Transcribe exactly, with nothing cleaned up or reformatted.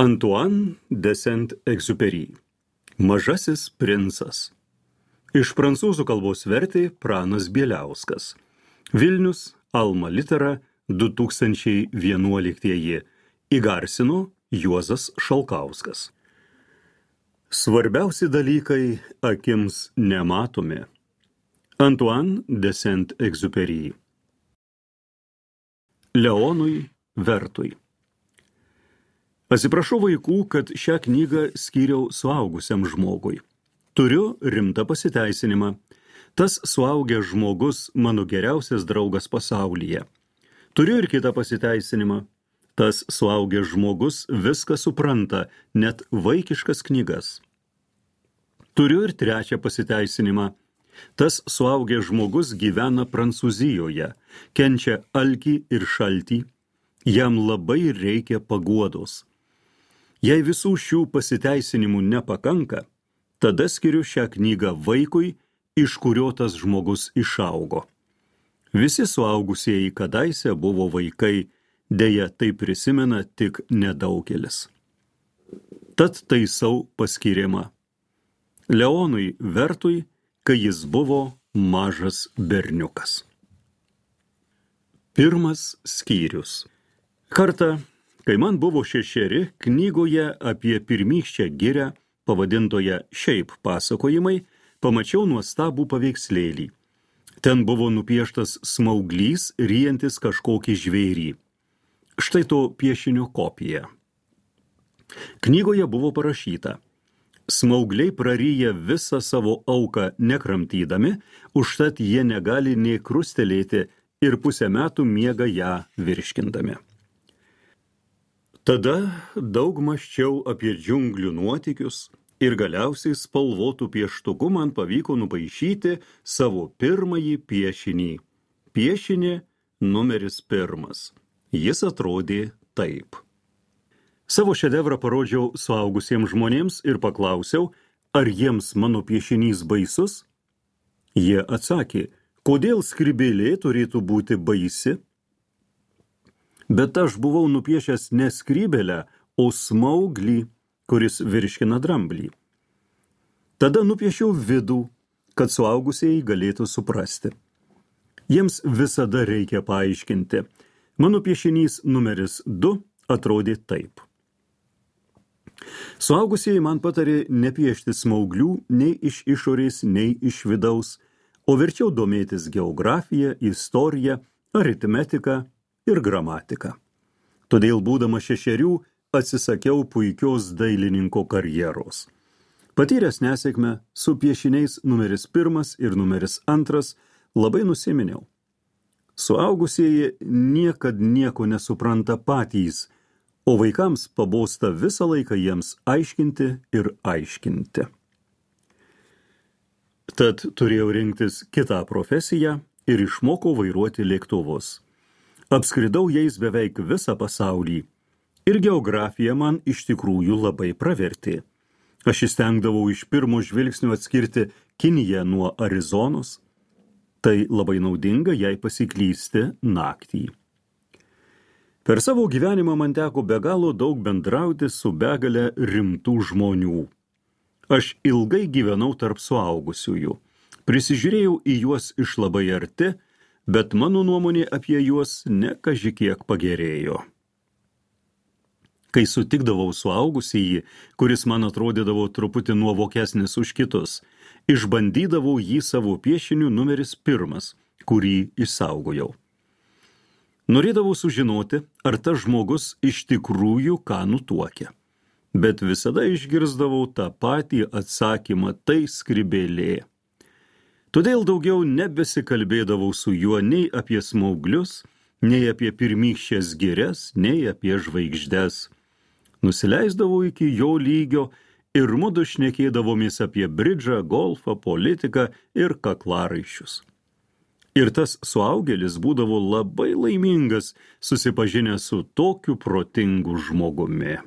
Antoine de Saint-Exupéry. Mažasis princas. Iš prancūzų kalbos vertė Pranas Bieliauskas. Vilnius, Alma Litera, du tūkstančiai vienuoliktieji. Įgarsino Juozas Šalkauskas. Svarbiausi dalykai akims nematomi. Antoine de Saint-Exupéry. Leonui Vertui. Atsiprašau vaikų, kad šią knygą skyriau suaugusiam žmogui. Turiu rimtą pasiteisinimą. Tas suaugęs žmogus mano geriausias draugas pasaulyje. Turiu ir kitą pasiteisinimą. Tas suaugęs žmogus viską supranta, net vaikiškas knygas. Turiu ir trečią pasiteisinimą. Tas suaugęs žmogus gyvena Prancūzijoje, kenčia alkį ir šaltį. Jam labai reikia paguodos. Jei visų šių pasiteisinimų nepakanka, tada skiriu šią knygą vaikui, iš kurio tas žmogus išaugo. Visi suaugusieji kadaise buvo vaikai, deja tai prisimena tik nedaugelis. Tad taisau paskyrimą. Leonui Vertui, kai jis buvo mažas berniukas. Pirmas skyrius. Kartą, kai man buvo šešeri, knygoje apie pirmykščią girią, pavadintoje Šiaip pasakojimai, pamačiau nuostabų paveikslėlį. Ten buvo nupieštas smauglys, ryjantis kažkokį žvėrį. Štai to piešinio kopija. Knygoje buvo parašyta: smaugliai praryja visą savo auką nekramtydami, užtat jie negali nė krustelėti ir pusę metų miega ją virškindami. Tada daug mąsčiau apie džiunglių nuotykius ir galiausiai spalvotų pieštuku man pavyko nupaišyti savo pirmąjį piešinį. Piešinį numeris pirmas. Jis atrodė taip. Savo šedevrą parodžiau suaugusiems žmonėms ir paklausiau, ar jiems mano piešinys baisus? Jie atsakė, kodėl skrybėlė turėtų būti baisi? Bet aš buvau nupiešęs ne skrybėlę, o smauglį, kuris virškina dramblį. Tada nupiešiau vidų, kad suaugusieji galėtų suprasti. Jiems visada reikia paaiškinti. Mano piešinys numeris du atrodė taip. Suaugusieji man patarė nepiešti smauglių nei iš išorės, nei iš vidaus, o verčiau domėtis geografija, istorija, aritmetika ir gramatika. Todėl, būdamas šešerių, atsisakiau puikios dailininko karjeros. Patyręs nesėkmę, su piešiniais numeris pirmas ir numeris antras labai nusiminiau. Suaugusieji niekad nieko nesupranta patys, o vaikams pabosta visą laiką jiems aiškinti ir aiškinti. Tad turėjau rinktis kitą profesiją ir išmokau vairuoti lėktuvus. Apskridau jais beveik visą pasaulį ir geografija man iš tikrųjų labai pravertė. Aš įstengdavau iš pirmo žvilgsnio atskirti Kiniją nuo Arizonos. Tai labai naudinga, jei pasiklysti naktį. Per savo gyvenimą man teko be galo daug bendrauti su begale rimtų žmonių. Aš ilgai gyvenau tarp suaugusiųjų. Prisižiūrėjau į juos iš labai arti, bet mano nuomonė apie juos ne kaži kiek pagerėjo. Kai sutikdavau suaugusįjį, kuris man atrodydavo truputį nuovokesnis už kitus, išbandydavau jį savo piešiniu numeris pirmas, kurį išsaugojau. Norėdavau sužinoti, ar tas žmogus iš tikrųjų ką nutuokia. Bet visada išgirsdavau tą patį atsakymą, tai skrybėlė. Todėl daugiau nebesikalbėdavau su juo nei apie smauglius, nei apie pirmykščias girias, nei apie žvaigždes. Nusileisdavau iki jo lygio ir mudu šnekėdavomės apie bridžą, golfą, politiką ir kaklaraiščius. Ir tas suaugėlis būdavo labai laimingas, susipažinęs su tokiu protingu žmogumi.